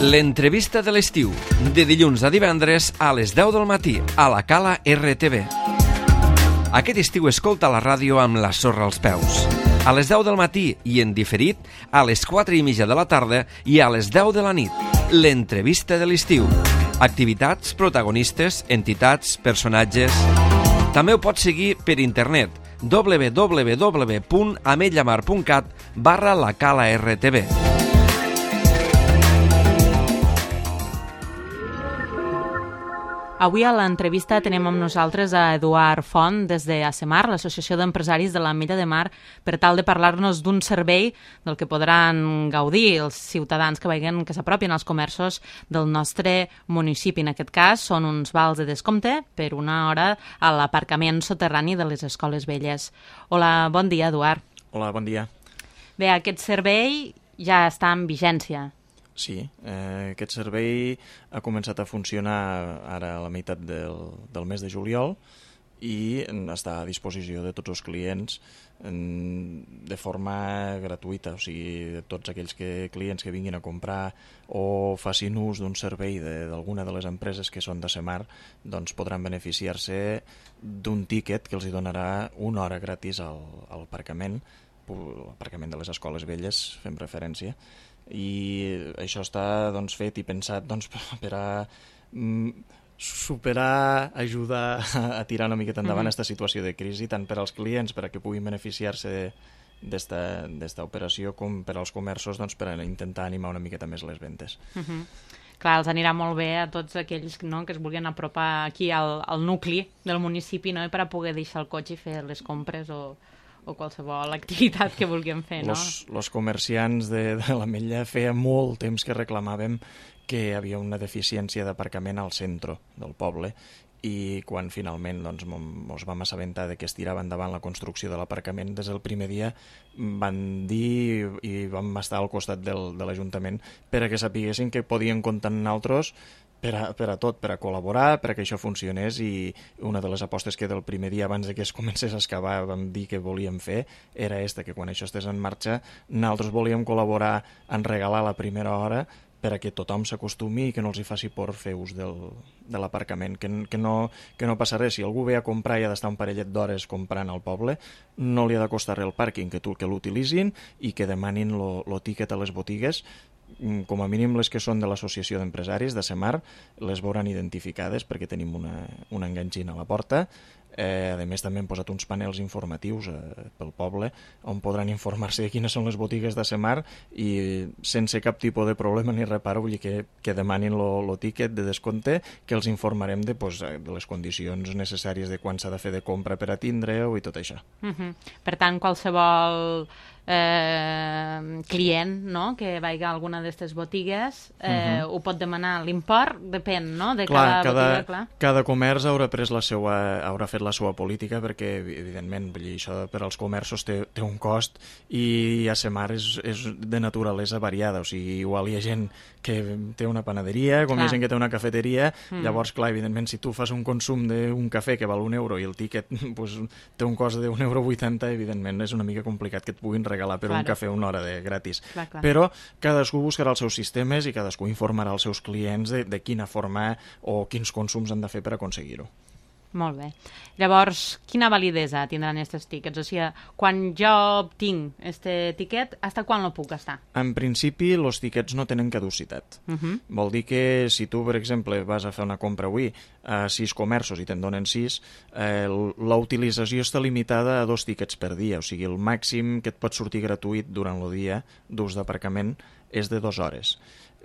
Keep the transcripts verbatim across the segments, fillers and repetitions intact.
L'entrevista de l'estiu, de dilluns a divendres a les deu del matí, a la Cala R T V. Aquest estiu escolta la ràdio amb la sorra als peus. A les deu del matí i en diferit, a les quatre i mitja de la tarda i a les deu de la nit. L'entrevista de l'estiu. Activitats, protagonistes, entitats, personatges... També ho pots seguir per internet, w w w punt ametlla mar punt cat barra la Cala R T V. Avui a l'entrevista tenim amb nosaltres a Eduard Font des de ASEMAR, l'Associació d'Empresaris de l'Ametlla de Mar, per tal de parlar-nos d'un servei del que podran gaudir els ciutadans que vagin, que s'apropin als comerços del nostre municipi. En aquest cas són uns vals de descompte per una hora a l'aparcament soterrani de les escoles velles. Hola, bon dia, Eduard. Hola, bon dia. Bé, aquest servei ja està en vigència. Sí, eh, aquest servei ha començat a funcionar ara a la meitat del, del mes de juliol i està a disposició de tots els clients en, de forma gratuïta, o sigui, tots aquells que, clients que vinguin a comprar o facin ús d'un servei d'alguna de, de les empreses que són d'ASEMAR, doncs podran beneficiar-se d'un tíquet que els hi donarà una hora gratis al, al aparcament, l'aparcament de les escoles velles, fem referència, i això està doncs, fet i pensat doncs, per a mm, superar, ajudar a tirar una miqueta endavant aquesta mm-hmm. situació de crisi, tant per als clients per a que puguin beneficiar-se d'esta operació com per als comerços doncs, per a intentar animar una miqueta més les ventes. Mm-hmm. Clar, els anirà molt bé a tots aquells no, que es vulguin apropar aquí al, al nucli del municipi, no, per a poder deixar el cotxe i fer les compres o... o qualsevol activitat que vulguem fer, no? Los, los comerciants de, de l'Ametlla feia molt temps que reclamàvem que hi havia una deficiència d'aparcament al centre del poble i quan finalment doncs, ens vam assabentar de que es tirava endavant la construcció de l'aparcament, des del primer dia van dir i vam estar al costat del, de l'Ajuntament per a que sapiguessin que podien comptar amb nosaltres per a, per a tot, per a col·laborar, per a que això funcionés, i una de les apostes que del primer dia abans de que es comencés a excavar vam dir que volíem fer era esta, que quan això estés en marxa nosaltres volíem col·laborar en regalar la primera hora per a que tothom s'acostumi i que no els hi faci por fer ús del, de l'aparcament, que, que, no, que no passa res. Si algú ve a comprar i ha d'estar un parellet d'hores comprant al poble, no li ha de costar res el pàrquing, que tu que l'utilitzin i que demanin el tíquet a les botigues. Com a mínim les que són de l'Associació d'Empresaris d'ASEMAR les veuran identificades perquè tenim una, una enganxina a la porta. Eh, a més també hem posat uns panels informatius eh, pel poble on podran informar-se de quines són les botigues d'ASEMAR i sense cap tipus de problema ni reparo, vull dir que, que demanin el tíquet de descompte, que els informarem de, pues, de les condicions necessàries de quan s'ha de fer de compra per a tindre-ho i tot això. Uh-huh. Per tant, qualsevol eh, client no? que vagi a alguna d'aquestes botigues eh, uh-huh. ho pot demanar. L'import depèn no? de clar, cada, cada botiga. Clar. Cada comerç haurà pres la seva, haurà fet la seva política perquè, evidentment, vull dir, això per als comerços té, té un cost i ASEMAR és, és de naturalesa variada, o sigui, igual hi ha gent que té una panaderia, com clar. Hi ha gent que té una cafeteria, mm. llavors, clar, evidentment, si tu fas un consum d'un cafè que val un euro i el tíquet pues, té un cost d'un euro vuitanta, evidentment és una mica complicat que et puguin regalar per claro. Un cafè una hora de gratis. Clar, clar. Però cadascú buscarà els seus sistemes i cadascú informarà els seus clients de, de quina forma o quins consums han de fer per aconseguir-ho. Molt bé. Llavors, quina validesa tindran aquests tíquets? O sigui, quan jo obtinc aquest tíquet, fins quan el puc gastar? En principi, els tíquets no tenen caducitat. Uh-huh. Vol dir que si tu, per exemple, vas a fer una compra avui a sis comerços i te'n donen sis, eh, la utilització està limitada a dos tíquets per dia. O sigui, el màxim que et pot sortir gratuït durant el dia d'ús d'aparcament és de dues hores.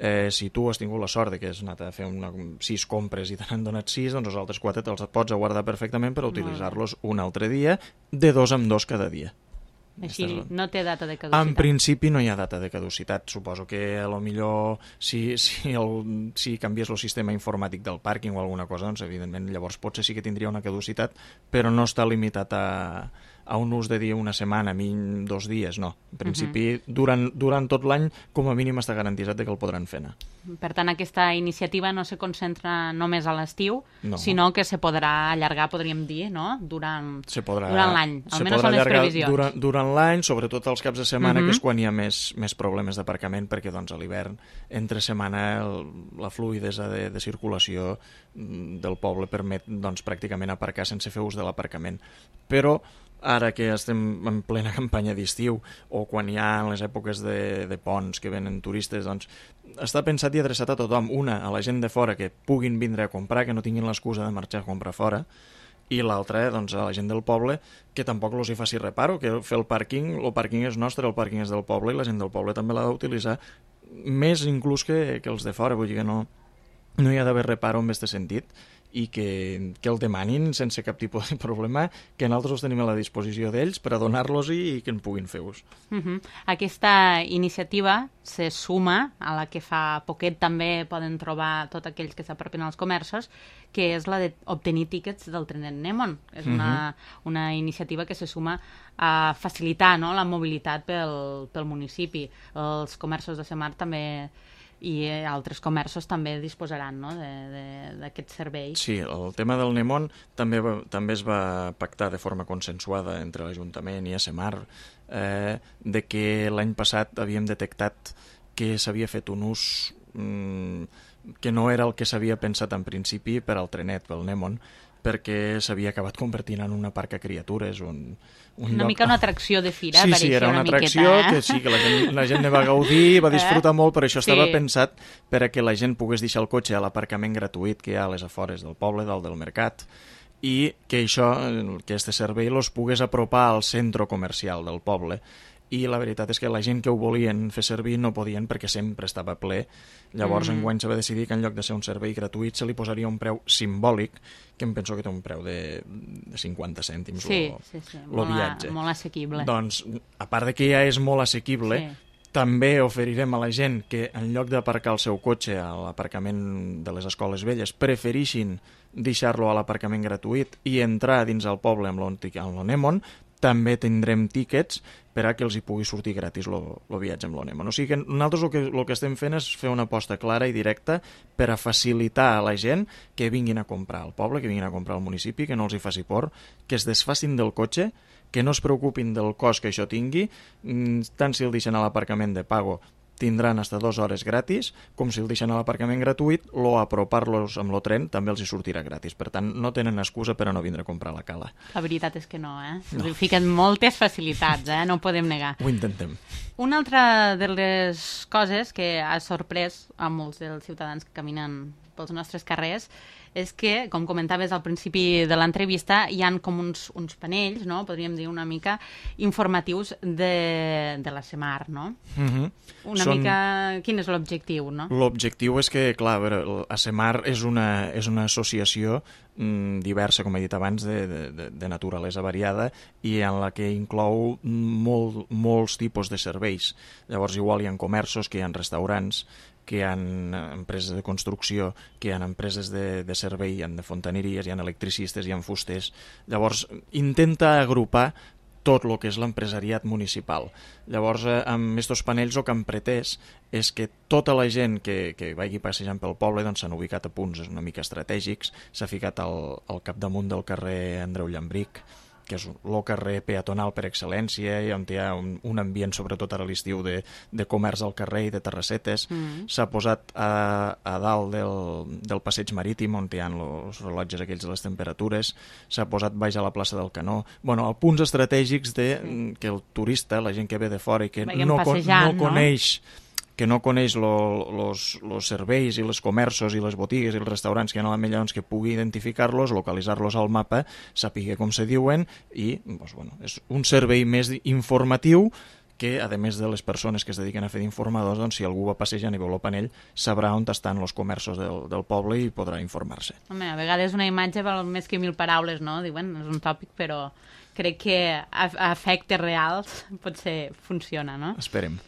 Eh, si tu has tingut la sort de que has anat a fer una, sis compres i te n'han donat sis, doncs els altres quatre te'ls pots guardar perfectament per utilitzar-los un altre dia, de dos en dos cada dia. Així no té data de caducitat? En principi no hi ha data de caducitat. Suposo que a lo millor si, si, el, si canvies el sistema informàtic del pàrquing o alguna cosa, doncs evidentment llavors potser sí que tindria una caducitat, però no està limitat a, a un ús de dir una setmana, mínim dos dies, no. En principi, uh -huh. durant, durant tot l'any, com a mínim està garantitzat que el podran fer anar. Per tant, aquesta iniciativa no se concentra només a l'estiu, no. sinó que se podrà allargar, podríem dir, no? durant, podrà, durant l'any. Almenys són les previsions. Durant, durant l'any, sobretot els caps de setmana, uh -huh. que és quan hi ha més, més problemes d'aparcament, perquè doncs, a l'hivern, entre setmana, el, la fluidesa de, de circulació del poble permet doncs, pràcticament aparcar sense fer ús de l'aparcament. Però ara que estem en plena campanya d'estiu o quan hi ha les èpoques de, de ponts que venen turistes, doncs està pensat i adreçat a tothom. Una, a la gent de fora que puguin vindre a comprar, que no tinguin l'excusa de marxar a comprar fora, i l'altra, doncs, a la gent del poble que tampoc els hi faci reparo, que fer el pàrquing, el pàrquing és nostre, el pàrquing és del poble i la gent del poble també l'ha d'utilitzar més inclús que, que els de fora, vull dir que no, no hi ha d'haver reparo en aquest sentit i que, que el demanin sense cap tipus de problema, que nosaltres els tenim a la disposició d'ells per a donar-los i que en puguin fer ús. Uh -huh. Aquesta iniciativa se suma a la que fa poquet també poden trobar tots aquells que s'apropen als comerços, que és la d'obtenir tíquets del trenet Nèmon. És una, uh -huh. una iniciativa que se suma a facilitar, no?, la mobilitat pel, pel municipi. Els comerços de Semar també i altres comerços també disposaran, no?, d'aquest servei. Sí, el tema del Nèmon també, va, també es va pactar de forma consensuada entre l'Ajuntament i Semar, eh, de que l'any passat havíem detectat que s'havia fet un ús mm, que no era el que s'havia pensat en principi per al trenet, pel Nèmon, perquè s'havia acabat convertint en una parc a criatures, un, un una lloc... mica una atracció de fira, sí, pareixia sí, era una, una atracció miqueta, eh? que sí, que la gent, la gent ne va gaudir, va disfrutar eh? molt, però això Sí. estava pensat per a que la gent pogués deixar el cotxe a l'aparcament gratuït que hi ha a les afores del poble, dalt del mercat, i que això, que este servei los pogués apropar al centre comercial del poble. I la veritat és que la gent que ho volien fer servir no podien perquè sempre estava ple. Llavors, mm. enguany se va decidir que en lloc de ser un servei gratuït se li posaria un preu simbòlic, que em penso que té un preu de, de cinquanta cèntims sí, lo, sí, sí. lo Molt, viatge. a, molt assequible. Doncs, a part de que ja és molt assequible, sí. també oferirem a la gent que en lloc d'aparcar el seu cotxe a l'aparcament de les escoles velles preferixin deixar-lo a l'aparcament gratuït i entrar dins el poble amb el Nèmon, també tindrem tíquets per a que els hi pugui sortir gratis el viatge amb l'Onemon. O sigui que nosaltres el que, el que estem fent és fer una aposta clara i directa per a facilitar a la gent que vinguin a comprar al poble, que vinguin a comprar al municipi, que no els hi faci por, que es desfacin del cotxe, que no es preocupin del cost que això tingui, tant si el deixen a l'aparcament de pago tindran hasta dues hores gratis, com si el deixen a l'aparcament gratuït, o apropar-los amb el tren també els hi sortirà gratis. Per tant, no tenen excusa per a no vindre a comprar a la cala. La veritat és que no, eh? No. Us fiquen moltes facilitats, eh? No ho podem negar. Ho intentem. Una altra de les coses que ha sorprès a molts dels ciutadans que caminen pels nostres carrers és que, com comentaves al principi de l'entrevista, hi han com uns, uns panells, no?, podríem dir una mica, informatius de, de la Semar, no? Mm-hmm. Una Són... mica... Quin és l'objectiu, no? L'objectiu és que, clar, a veure, a Semar és una, és una associació mm, diversa, com he dit abans, de, de, de naturalesa variada i en la que inclou molt, molts tipus de serveis. Llavors, igual hi ha comerços, que hi ha restaurants, que hi ha empreses de construcció, que hi ha empreses de, de servei, hi ha de fontaneries, hi ha electricistes, hi ha fusters. Llavors, intenta agrupar tot el que és l'empresariat municipal. Llavors, amb aquests panells el que han pretès és que tota la gent que, que vagi passejant pel poble doncs, s'han ubicat a punts una mica estratègics, s'ha ficat al, al capdamunt del carrer Andreu Llambric, que és el carrer peatonal per excel·lència, i on hi ha un, un ambient, sobretot ara a l'estiu, de, de comerç al carrer i de terrassetes. Mm. S'ha posat a, a dalt del, del passeig marítim, on hi ha els rellotges aquells de les temperatures, s'ha posat baix a la plaça del Canó. Bueno, a punts estratègics de, sí. que el turista, la gent que ve de fora i que no, no coneix... No? que no coneix els serveis i els comerços i les botigues i els restaurants que hi ha a l'Ametlla, doncs que pugui identificar-los, localitzar-los al mapa, sàpiga com se diuen i doncs, bueno, és un servei més informatiu que, a més de les persones que es dediquen a fer d'informadors, doncs, si algú va passejant i veu el panell, sabrà on estan els comerços del, del poble i podrà informar-se. Home, a vegades una imatge val més que mil paraules, no? Diuen, és un tòpic, però crec que a, a efectes reals potser funciona, no? Esperem.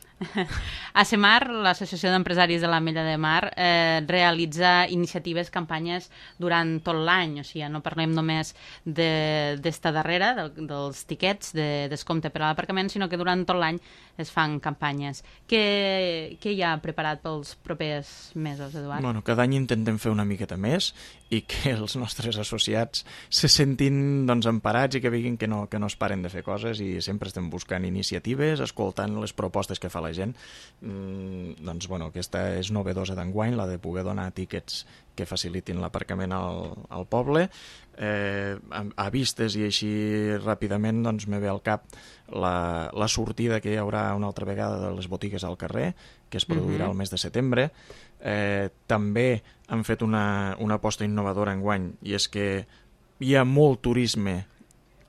ASEMAR, l'Associació d'Empresaris de l'Ametlla de Mar, eh, realitza iniciatives, campanyes durant tot l'any, o sigui, no parlem només d'esta de, darrera, de, dels tiquets de descompte per a l'aparcament, sinó que durant tot l'any es fan campanyes. Què, què hi ha preparat pels propers mesos, Eduard? Bueno, cada any intentem fer una miqueta més i que els nostres associats se sentin doncs, emparats i que vegin que no, que no es paren de fer coses, i sempre estem buscant iniciatives, escoltant les propostes que fa la gent. Mm, doncs, bueno, aquesta és novedosa d'enguany, la de poder donar tíquets que facilitin l'aparcament al, al poble. Eh, a, a vistes i així ràpidament doncs, me ve al cap la, la sortida que hi haurà una altra vegada de les botigues al carrer, que es produirà uh-huh. el mes de setembre. Eh, també han fet una, una aposta innovadora enguany, i és que hi ha molt turisme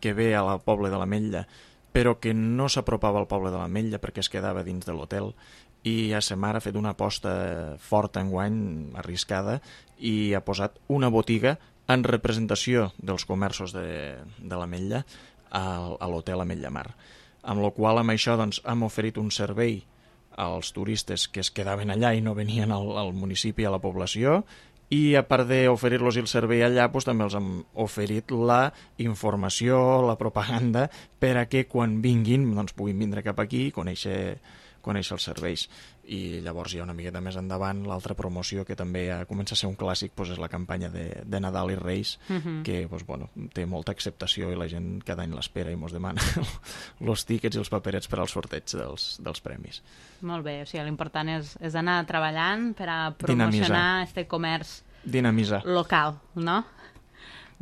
que ve al poble de l'Ametlla, però que no s'apropava al poble de l'Ametlla perquè es quedava dins de l'hotel, i ASEMAR ha fet una aposta forta enguany, arriscada, i ha posat una botiga en representació dels comerços de, de l'Ametlla a, a l'hotel Ametlla Mar. Amb la qual amb això doncs, hem oferit un servei als turistes que es quedaven allà i no venien al, al municipi, a la població, i a part d'oferir-los el servei allà, doncs, també els hem oferit la informació, la propaganda, per a que quan vinguin doncs, puguin vindre cap aquí i conèixer, conèixer els serveis. I llavors hi ha una miqueta més endavant l'altra promoció, que també ja comença a ser un clàssic, doncs és la campanya de, de Nadal i Reis, uh-huh. que doncs, bueno, té molta acceptació i la gent cada any l'espera i mos demana els tíquets i els paperets per al sorteig dels, dels premis. Molt bé, o sigui, l'important és, és anar treballant per a promocionar aquest comerç Dinamitzar. Local, no?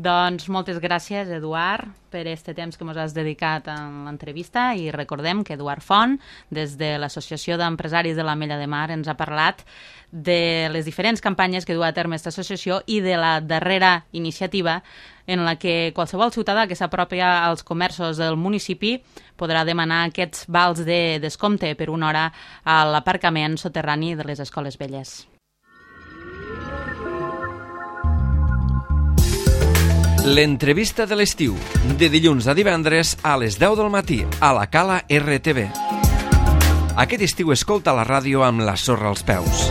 Doncs moltes gràcies, Eduard, per aquest temps que ens has dedicat en l'entrevista, i recordem que Eduard Font, des de l'Associació d'Empresaris de l'Ametlla de Mar, ens ha parlat de les diferents campanyes que du a terme aquesta associació i de la darrera iniciativa en la que qualsevol ciutadà que s'apropia als comerços del municipi podrà demanar aquests vals de descompte per una hora a l'aparcament soterrani de les escoles velles. L'entrevista de l'estiu, de dilluns a divendres a les deu del matí, a la Cala R T V. Aquest estiu escolta la ràdio amb la sorra als peus.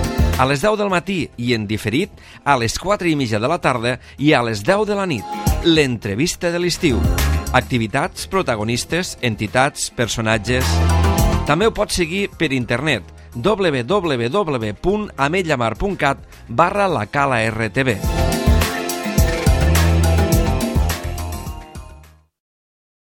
A les deu del matí i en diferit, a les quatre i mitja de la tarda i a les deu de la nit. L'entrevista de l'estiu. Activitats, protagonistes, entitats, personatges... També ho pots seguir per internet, w w w punt ametlamar punt cat barra la Cala R T V.